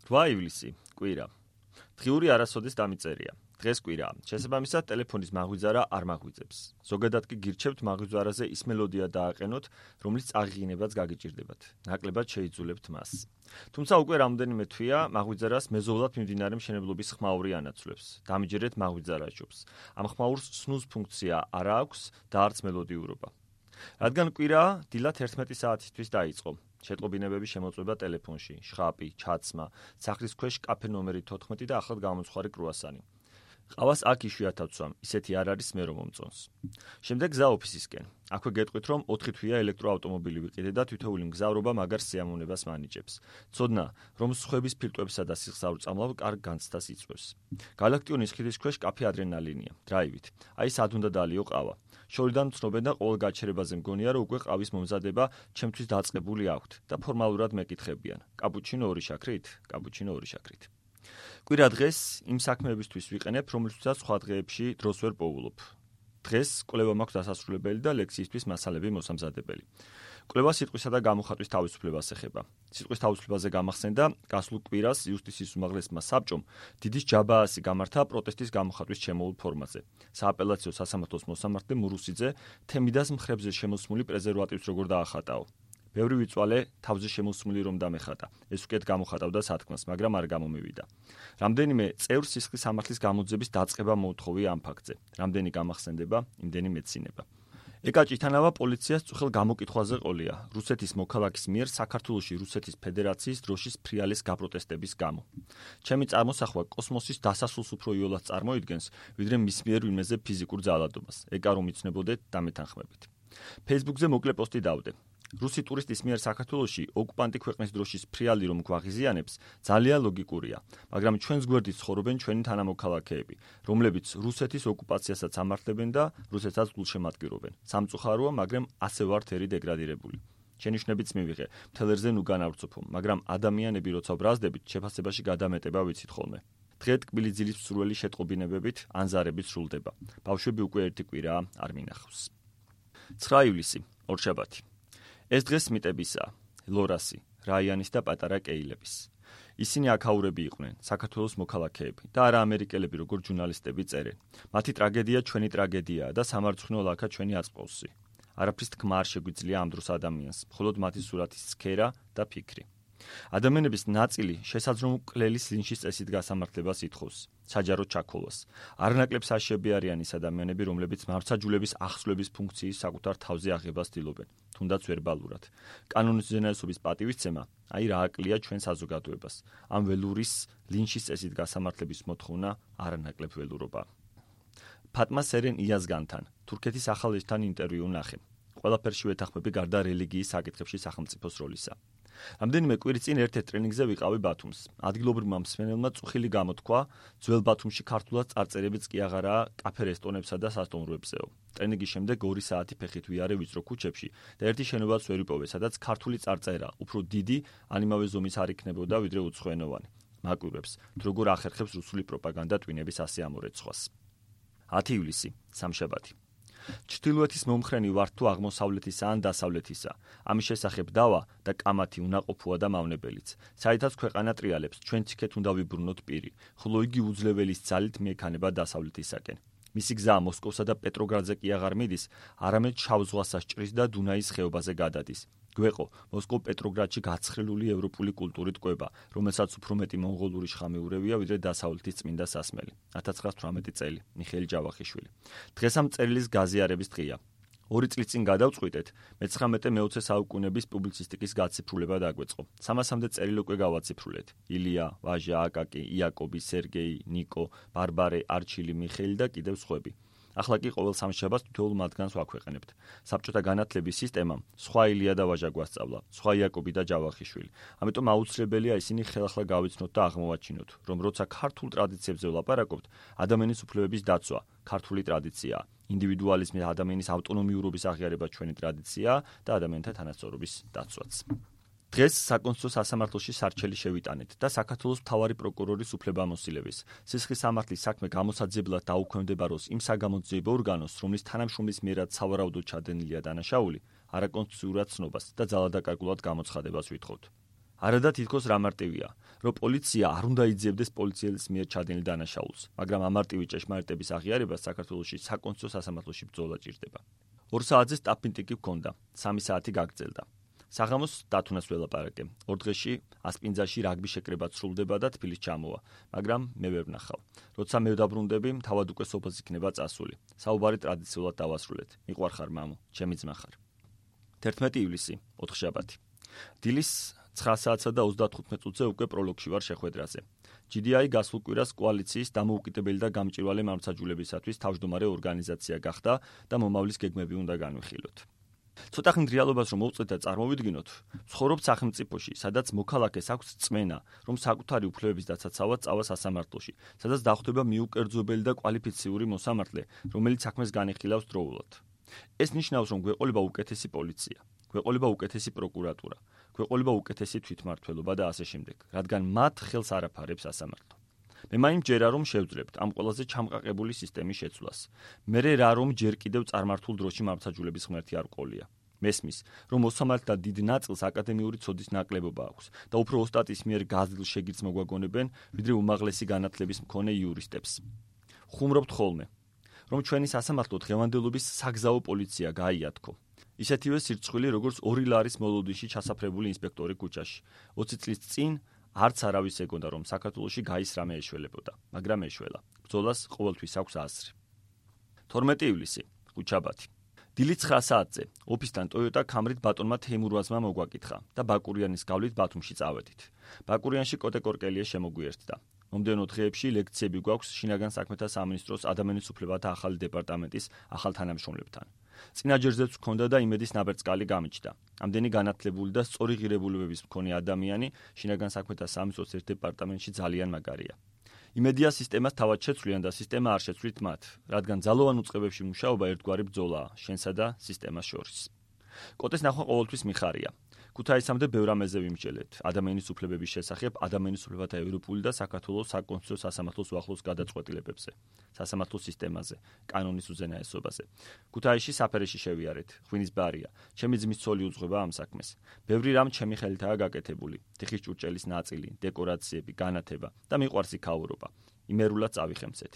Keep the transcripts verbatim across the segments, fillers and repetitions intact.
რვა ივლისი, კვირა. დღიური არასოდეს დამიწერია. დღეს კვირაა. შესაბამისად, ტელეფონის მაღვიძარა არ მაღვიძებს. ზოგადად კი გირჩევთ მაღვიძარაზე ის მელოდია დააყენოთ, რომლის წაღიღინებაც გაგიჭირდებათ. ნაკლებად შეიძულებთ მას. თუმცა უკვე რამდენიმე თვეა მაღვიძარას მეზობლად მიმდინარე მშენებლობის ხმაური ანაცვლებს. დამიჯერეთ მაღვიძარა ჯობს. ამ ხმაურს სნუზ ფუნქცია არ აქვს და არც მელოდიურობა. რადგან კვირაა, დილად ერთმეტი საათისთვის დაიწყო. შეტყობინებები შემოწმება ტელეფონში, შხაპი, ჩაცმა, სახლის ქვეშ კაფე ნომერი თოთხმეტი და ახლად გამომცხვარი კრუასანი. ყავას აქ იშვიათად ვცვამ, ისეთი არ არის მე რომ მომწონს. შემდეგ გზა ოფისისკენ. აქვე გეტყვით რომ ოთხი თვეა ელექტროავტომობილი ვიყიდე და თითოეული მგზავრობა მაგარ სიამოვნებას მანიჭებს. ცოდნა, რომ სხვების ფილტვებსა და სიხსავრ წამლავ კარგ განცდას იწვევს. გალაქტიონის ხიდის ქვეშ კაფე ადრენალინია, დრაივით. აი სად უნდა დალიო ყავა. შორიდან ვცნობენ და ყოველ გაჩერებაზე მგონია რომ უკვე ყავის მომზადება ჩემთვის დაწყებული აქვთ და ფორმალურად მეკითხებიან. კაპუჩინო ორი შაქრით? კაპუჩინო ორი შაქრით. კვირა დღეს იმ საქმეებისთვის ვიყენებ, რომლისთვისაც სხვა დღეებში დროს ვერ პოულობ. დღეს კვლევა მაქვს დასასრულებელი და ლექციისთვის მასალები მოსამზადებელი. კვლევა სიტყვისა და გამოხატვის თავისუფლებას ეხება. სიტყვის თავისუფლებაზე გამახსენდა გასულ კვირას იუსტიციის უმაღლესმა საბჭომ დიდის ჯაბაასი გამართა პროტესტის გამოხატვის ჩემოულ ფორმაზე. სააპელაციო სასამართლოს მოსამართლე მურუსიძე თემიდას მხრებზე შემოსმული პრეზერვატივს როგორ დაახატაო. ბევრი ვიწვალე თავზე შემოსმული რომ დამეხატა. ეს უკეთ გამოხატავდა სათქმას, მაგრამ არ გამომივიდა. რამდენიმე წევრს სისხლის სამართლის გამოძების დაწყება მოუთხოვია ამ ფაქტზე. რამდენი გამახსენდება, იმდენი მეცინება. ეკა ჭითანავა პოლიციას წუხელ გამოკითხვაზე ყოლია. რუსეთის მოქალაქის მიერ საქართველოში რუსეთის ფედერაციის დროშის ფრიალის გაპროტესტების გამო. ჩემი წარმოსახვა კოსმოსის დასასრულს უფრო იოლად წარმოიდგენს, ვიდრე მის მიერ ვინმეზე ფიზიკურ ძალადობას. ეკა რომ იცნებოდეთ, დამეთანხმებით. Facebook-ზე მოკლე პოსტი დავდე. რუსი ტურისტის მიერ საქართველოში ოკუპანტი ქვეყნის დროშის ფრიალი რომ გვაღიზიანებს, ძალიან ლოგიკურია, მაგრამ ჩვენს გვერდით ცხოვრობენ ჩვენი თანამოქალაქეები, რომლებიც რუსეთის ოკუპაციასაც ამართლებენ და რუსეთსაც გულშემატკივრობენ. სამწუხაროა, მაგრამ ასე ვართ ერი დეგრადირებული. შენიშვნებიც მივიღე, მთელერზე ნუ განავრცოფო, მაგრამ ადამიანები როცა ბრაზდებით, შეფასებაში გადამეტება ვიცით ხოლმე. დღე ტკბილი ძილის მსურველი შეტყობინებებით, ანზარებით სრულდება. ბავშვები უკვე ერთი კვირაა არ მინახავს. ცხრა ივლისი, ორშაბათი. ეს დღეს მიტებისაა, ლორასი, რაიანის და პატარა კეილების. ისინი აქაურები იყვნენ, საქართველოს მოქალაქეები და არა ამერიკელები, როგორ ჟურნალისტები წერენ. მათი ტრაგედია ჩვენი ტრაგედიაა და სამარცხვინო ლაქა ჩვენი აწყვოსი. არაფრის თქმა არ შეგვიძლია ამ დროს ადამიანს, მხოლოდ მათი სურათის სქერა და ფიქრი. ადამიანების ნაწილი შესაძლო მკვლელის ლინჩის წესით გასამართლებას ითხოვს, საჯარო ჩაქოლას. არნაკლებ საშიები არიან ის ადამიანები, რომლებიც მართლმსაჯულების ახსვლების ფუნქციის საკუთარ თავზე აღებას ცდილობენ, თუნდაც ვერბალურად. კანონის უზენაესობის პატივისცემა, აი რა აკლია ჩვენ საზოგადოებას. ამ ველურის ლინჩის წესით გასამართლების მოთხოვნა არანაკლებ ველურობა. ფატმა სერენ იაზგანთან, თურქეთის ახალ ელჩთან ინტერვიუ ნახე. ყველაფერში ვეთანხმები გარდა რელიგიის საკითხებში სახელმწიფოს როლისა. რამდენიმე კვირის წინ ერთ-ერთ ტრენინგზე ვიყავი ბათუმს. ადგილობრივმა მსმენელმა წუხილი გამოთქვა, ძველ ბათუმში ქართულად წარწერებიც კი აღარაა კაფე რესტორნებსა და სასტუმროებზეო. ტრენინგის შემდეგ ორი საათი ფეხით ვიარე ვიწრო ქუჩებში და ერთი შენობაც ვერ ვიპოვე, სადაც ქართული წარწერა, უფრო დიდი, ან იმავე ზომის არ იქნებოდა, ვიდრე უცხოენოვანი. მაკვირვებს, თუ როგორ ახერხებს რუსული პროპაგანდა ტვინების ასე ამორეცხვას. ათი ივლისი, სამშაბათი. ჩრდილოეთის მომხრენი ვართ თუ აღმოსავლეთისა ან დასავლეთისა. ამის შესახებ დავა და კამათი უნაყოფოა და მავნებელიც. საერთოდ ქვეყანა ტრიალებს, ჩვენ ციქეთ უნდა ვიბრუნოთ პირი, ხოლო იგი უძლებელის ძალით მიექანება დასავლეთისაკენ. მისი გზა მოსკოვსა და პეტროგრადზე კი აღარ მიდის, არამედ შავ ზღვას ასჭრის და დუნაის ხეობაზე გადადის. გვეყო, მოსკოვ-პეტროგრადში გაცხრილული ევროპული კულტურით კვება, რომელსაც უფრო მეტი მონღოლური შხამი ურევია, ვიდრე დასავლეთის წმინდა სასმელი. ათას ცხრაას თვრამეტი წელი, მიხეილ ჯავახიშვილი. დღეს ამ წერილის გაზიარების დღეა. ორი წლის წინ გადავწყვიტეთ, მეცხრამეტე მეოცე საუკუნეების პუბლიცისტიკის გაციფრულება დაგვეწყო. სამასამდე წერილი უკვე გავაციფრულეთ. ილია, ვაჟა, აკაკი, იაკობი, სერგეი, ნიკო, ბარბარე, არჩილი, მიხეილი და კიდევ სხვები. ახლა კი ყოველ სამშაბათს თითოეულ მათგანს ვაქვეყნებთ. საბჭოთა განათლების სისტემამ სხვა ილია და ვაჟა გვასწავლა, სხვა იაკობი და ჯავახიშვილი. ამიტომ აუცილებელია ისინი ხელახლა გავიცნოთ და აღმოვაჩინოთ, რომ როცა ქართულ ტრადიციებზე ვლაპარაკობთ, ადამიანის უფლებების დაცვა ქართული ტრადიციაა. ინდივიდუალიზმი და ადამიანის ავტონომიურობის აღიარება ჩვენი ტრადიციაა და ადამიანთა თანასწორობის დაცვაც. დღეს საკონსტიტუციო სასამართლოში სარჩელი შევიტანეთ და საქართველოს მთავარი პროკურორის უფლებამოსილების სისხლის სამართლის საქმე გამოსაძიებლად დაუქვემდებაროს იმ საგამოძიებო ორგანოს, რომლის თანამშრომლის მიერად სავარაუდოდ ჩადენილია დანაშაული, არაკონსტიტუციურად ცნობას და ძალადაკარგულად გამოცხადებას ვითხოვთ. არადა თითქოს რა მარტივია, რომ პოლიცია არ უნდა იძიებდეს პოლიციელის მიერ ჩადენილ დანაშაულს, მაგრამ ამარტივი ჭეშმარიტების აღიარებას საქართველოში საკონსტიტუციო სასამართლოში ბრძოლა ჭირდება. ორ საათზე სტაფინტიკი ჰქონდა, სამი საათი გაგრძელდა. საღამოს დათუნას ველაპარაკე. ორ დღეში ასპინძაში რაგბი შეკრებაც სრულდება და თბილისს ჩამოვა, მაგრამ მე ვერ ვნახავ. როცა მე დავბრუნდები, თავად უკვე სოფელს იქნება წასული. საუბარი ტრადიციულად დავასრულეთ. მიყვარხარ მამო, ჩემი ძმა ხარ. თერთმეტი ივლისი, ოთხშაბათი. დილის ცხრა საათსა და ოცდათხუთმეტ წუთზე უკვე პროლოგში ვარ შეხვედრაზე. ჯი დი აი გასულ კვირას კოალიციის დამოუკიდებელი და გამჭვირვალე მართლმსაჯულებისათვის თავმჯდომარე ორგანიზაცია გახდა და მომავლის გეგმები უნდა განვიხილოთ. ცოტა ხნით რეალობას რომ მოვწეთ და წარმოვიდგინოთ, ცხოვრობ სახელმწიფოში, სადაც მოქალაქეს აქვს წმენა, რომ საკუთარი უფლებების დაცაცავად წავა სასამართლოში, სადაც დახვდება მიუკერძოებელი და კვალიფიციური მოსამართლე, რომელიც საქმეს განიხილავს დროულად. ეს ნიშნავს, რომ გვეყოლება უკეთესი პოლიცია, გვეყოლება უკეთესი პროკურატურა, გვეყოლება უკეთესი თვითმმართველობა და ასე შემდეგ, რადგან მათ ხელს არ აფარებს სასამართლო. მე მაინც ჯერა რომ შევძლებთ ამ ყველაზე ჩამყაყებული სისტემის შეცვლას. მერე რა რომ ჯერ კიდევ წარმართულ დროში მართლმსაჯულების ღმერთი არ ყოლია. მესმის, რომ მოსამართლეთა დიდ ნაწილს აკადემიური ცოდის ნაკლებობა აქვს და უფრო ოსტატის მიერ გაზრდილ შეგირდს მოგვაგონებენ, ვიდრე უმაღლესი განათლების მქონე იურისტებს. ხუმრობთ ხოლმე, რომ ჩვენი სასამართლო დღევანდელობის საგზაო პოლიცია გაიათქო. ისეთივე სირცხვილი, როგორც ორი ლარის მოლოდიში ჩასაფრებული ინსპექტორი ქუჩაში. ოცი წლის წინ არც არავის ეგონდა, რომ საქართველოში გაის რამე ეშველებოდა, მაგრამ ეშველა. ბრძოლას ყოველთვის აქვს აზრი. თორმეტი ივლისი, ხუთშაბათი. დილით ცხრა საათზე ოფისთან Toyota Camry-თ ბატონმა თეიმურაზმა მოგვაკითხა და ბაკურიანის გავლით ბათუმში წავედით. ბაკურიანში კოტე კორკელია შემოგვიერთდა. მომდევნო დღეებში ლექციები გვაქვს შინაგან საქმეთა სამინისტროს ადამიანის უფლებათა ახალი დეპარტამენტის ახალ თანამშრომლებთან. წინა ჯერზეც ჰქონდა და იმედის ნაბერწკალი გამიჩნდა. ამდენი განათლებული და სწორი ღირებულებების მქონე ადამიანი შინაგან საქმეთა სამინისტროს ერთ დეპარტამენტში ძალიან მაგარია. იმედია სისტემას თავად შეცვლიან და სისტემა არ შეცვლით მათ, რადგან ძალოვან უწყებებში მუშაობა ერთგვარი ბრძოლაა შენსა და სისტემას შორის. კოტეს ნახვა ყოველთვის მიხარია. ქუთაისამდე ბევრ რამეზე ვიმსჯელეთ. ადამიანის უფლებების შესახებ, ადამიანის უფლებათა ევროპული და საქართველოს საკონსტიტუციო სასამართლოს უახლოს გადაწყვეტილებებზე, სასამართლო სისტემაზე, კანონის უზენაესობაზე. ქუთაისში საფარეში შევიარეთ, ღვინის ბარია. ჩემი ძმის ცოლი უძღვება ამ საქმეს. ბევრი რამ ჩემი ხელითაა გაკეთებული. თიხის ჭურჭელის ნაწილი, დეკორაციები, განათება და მიყვარს იქაურობა. იმერულად წავიხემცეთ.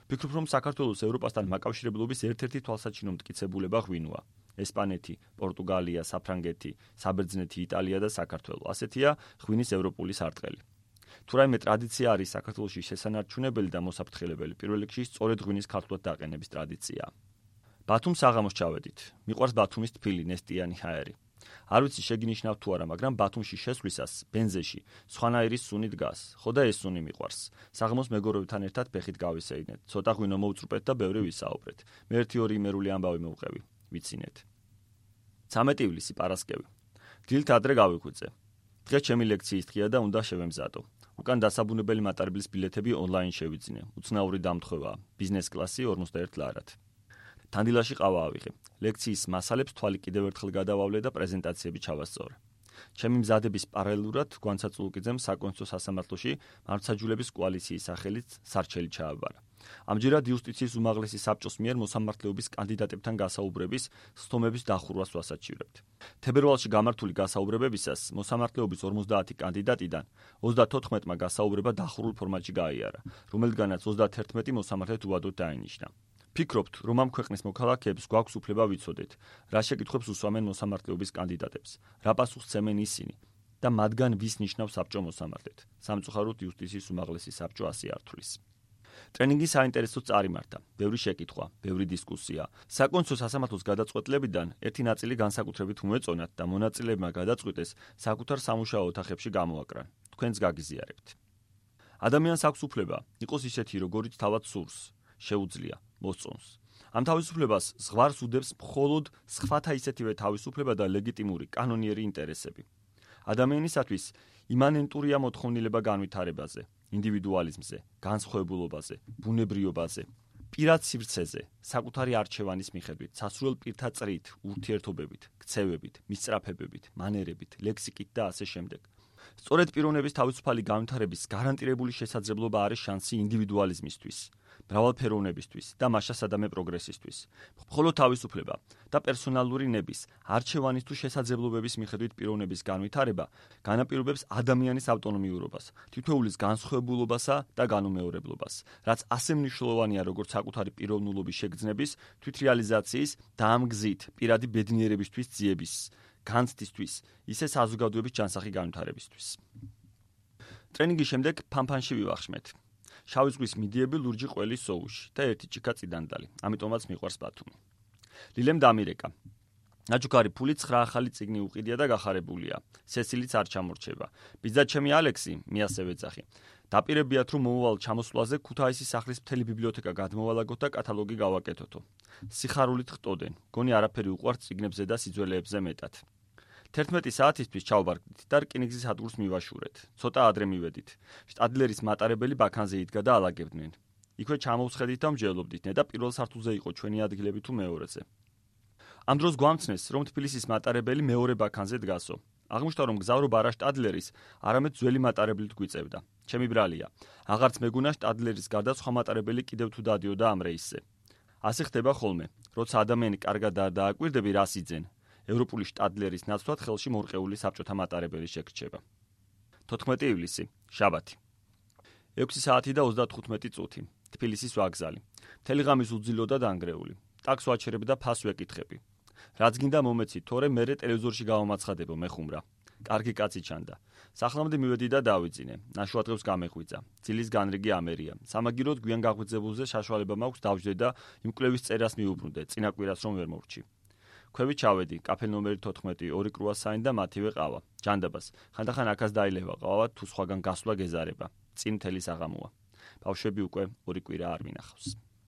ვფიქრობ, რომ საქართველოს ევროპასთან მაკავშირებლობის ერთ-ერთი თვალსაჩინო მტკიცებულება ღვინოა. ესპანეთი, პორტუგალია, საფრანგეთი, საბერძნეთი, იტალია და საქართველო. ასეთია ღვინის ევროპული სარტყელი. თუ რაიმე ტრადიცია არის საქართველოში შესანარჩუნებელი და მოსაფრთხილებელი, პირველ რიგში სწორედ ღვინის ქართულად დაყენების ტრადიციაა. ბათუმს საღამოს ჩავედით. მიყვარს ბათუმის თბილი, ნესტიანი ჰაერი. არ ვიცი შეგინიშნავთ თუ არა, მაგრამ ბათუმში შესვლისას ბენზეში სხვანაირი სუნი დგას. ხო და ეს სუნი მიყვარს. საღამოს მეგობრებთან ერთად ფეხით გავისეირნეთ. ცოტა ღვინო მოვწრუპეთ და ბევრი ვისაუბრეთ. მე ერთი ორი იმერული ამბავი მოვყევი. ვიცინეთ. ცამეტი ივლისი, პარასკევი. დილით ადრე გავიხვიწე. დღეს ჩემი ლექციის დღეა და უნდა შევემზადო. უკან დასაბუნებელი მატარებლის ბილეთები ონლაინ შევიძინე. უცნაური დამთხოვაა. ბიზნეს კლასი ორმოცდაერთ ლარად. თანდილაში ყავა ავიღე. ლექციის მასალებს თვალი კიდევ ერთხელ გადავავლე და პრეზენტაციები ჩავასწორე. ჩემი მზადების პარალელურად გვანცაც ლუკიძემ საკონსტიტუციო სასამართლოში მართლმსაჯულების კოალიციის სახელით სარჩელი ჩააბარა. ამჯერად იუსტიციის უმაღლესი საბჭოს მიერ მოსამართლეობის კანდიდატებთან გასაუბრების სხდომების დახურვას ვასაჩივრებთ. თებერვალში გამართული გასაუბრებებისას მოსამართლეობის ორმოცდაათი კანდიდატიდან ოცდათოთხმეტმა გასაუბრება დახურულ ფორმატში გაიარა, რომელთგანაც ოცდათერთმეტი მოსამართლედ უადოდ დაინიშნა. ფიქრობთ, რომ ამ ქვეყნის მოქალაქეებს გვაქვს უფლება ვიცოდეთ, რა შეკითხვებს უსვამენ მოსამართლეობის კანდიდატებს, რა პასუხს ცემენ ისინი და მათგან ვის ნიშნავს საბჭო მოსამართლედ. სამწუხაროდ იუსტიციის უმაღლესი საბჭო ასე არ თვლის. ტრენინგი საინტერესოდ წარიმართა. ბევრი შეკითხვა, ბევრი დისკუსია. საკონსტიტუციო სასამართლოს გადაწყვეტილებიდან ერთი ნაწილი განსაკუთრებით უმეწონათ და მონაწილეებმა გადაწყვიტეს საკუთარ სამუშაო ოთახებში გამოაკრან. თქვენც გაგიზიარებთ. ადამიანს აქვს უფლება იყოს ისეთი, როგორიც თავად სურს, შეუძლია, მოსწონს. ამ თავისუფლებას ზღვარს უდებს მხოლოდ სხვათა ისეთივე თავისუფლება და ლეგიტიმური კანონიერი ინტერესები. ადამიანისათვის იმანენტურია მოთხოვნილება განვითარებაზე, ინდივიდუალიზმზე, განსხვავებულობაზე, ბუნებრიობაზე, პირად სივრცეზე, საკუთარი არჩევანის მიხედვით, სასურველ პირთა წრით, ურთიერთობებით, ქცევებით, მისწრაფებებით, მანერებით, ლექსიკით და ასე შემდეგ. სწორედ პიროვნების თავისუფალი განვითარების გარანტირებული შესაძლებლობა არის შანსი ინდივიდუალიზმისთვის. მრავალფეროვნებისთვის და მასშტაბსადამე პროგრესისთვის. მხოლოდ თავისუფლება და პერსონალური ნების, არჩევანის თუ შესაძლებლობების მიხედვით პიროვნების განვითარება განაპირობებს ადამიანის ავტონომიურობას, თითოეულის განსხვავებულობასა და განუმეორებლობას, რაც ასე მნიშვნელოვანია როგორც საკუთარი პიროვნულობის შეგრძნების, თვითრეალიზაციის და ამ გზით პირადი ბედნიერებისთვის ძიების, განცდისთვის, ისე საზოგადოების ჯანსაღი განვითარებისთვის. ტრენინგის შემდეგ ფანფანში ვივახშმეთ. შავი ზღვის მიდიები ლურჯი ყველის სოუში და ერთი ჭიქა წიდანდალი, ამიტომაც მიყვარს ბათუმი. ლილემ დამირეკა. ნაჩუქარი ფული ცხრა ახალი წიგნი უყიდია და გახარებულია. სესილიც არ ჩამორჩება. ბიძაჩემი ალექსი, მე ასევე ეძახი. დაპირებიათ რომ მომავალ ჩამოსვლაზე ქუთაისის სახლის მთელი ბიბლიოთეკა გადმოვალაგოთ და კატალოგი გავაკეთოთო. სიხარულით ხტოდენ. გონი არაფერი უყვართ წიგნებზე და სიძველეებზე მეტად. თერთმეტი საათისთვის ჩავბარგდით და რკინიგზის ადგილს მივაშურეთ. ცოტა ადრე მივედით. შტადლერის მატარებელი ბაქანზე იდგა და ალაგებდნენ. იქვე ჩამოვსხედით და მსჯელობდით, ნედა პირველ სართულზე იყო ჩვენი ადგილები თუ მეორეზე. ამ დროს გვამცნეს, რომ თბილისის მატარებელი მეორე ბაქანზე დგასო. აღმოჩნდა, რომ გზავრობა არა შტადლერის, არამედ ძველი მატარებლით გვიწევდა. ჩემი ბრალია. აღარც მეგონა შტადლერის გარდა სხვა მატარებელი კიდევ თუ დადიოდა ამ რეისზე. ასე ხდება ხოლმე, როცა ადამიანი კარგად არ დააკვირდები, რას იძენ. ევროპული შტადლერის ნაცვლად ხელში მორყეული საბჭოთა მატარებელი შეგრჩება. თოთხმეტი ივლისი, შაბათი. ექვსი საათი და ოცდათხუთმეტი წუთი. თბილისის ვაგზალი. მთელი ღამე უძილო და დანგრეული. ტაქს ვაჩერებ და ფას ვეკითხები. რაც გინდა მომეცი, თორე მერე ტელევიზორში გავამაცხადებო, მეხუმრა. კარგი კაცი ჩანდა. სახლამდე მივედი და დავიძინე. ნაშუადღებს გამეღვიძა. ძილის განრიგი ამერია. სამაგიროდ გვიან გაღვიძებულზე საშუალება მაქვს დავждე და იმ კვლევის წერას მიუბრუნდე, წინა კვირას რომ ვერ მორჩი. ქვევით ჩავედი, კაფე ნომერი თოთხმეტი, ორი კრუასანი და მათივე ყავა. ჯანდაბას. ხანდახან აქაც დაილევა ყავა, თუ სხვაგან გასვლა გეზარება. წინ მთელი საღამოა. ბავშვები უკვე ორი კვირა არ მინახავს.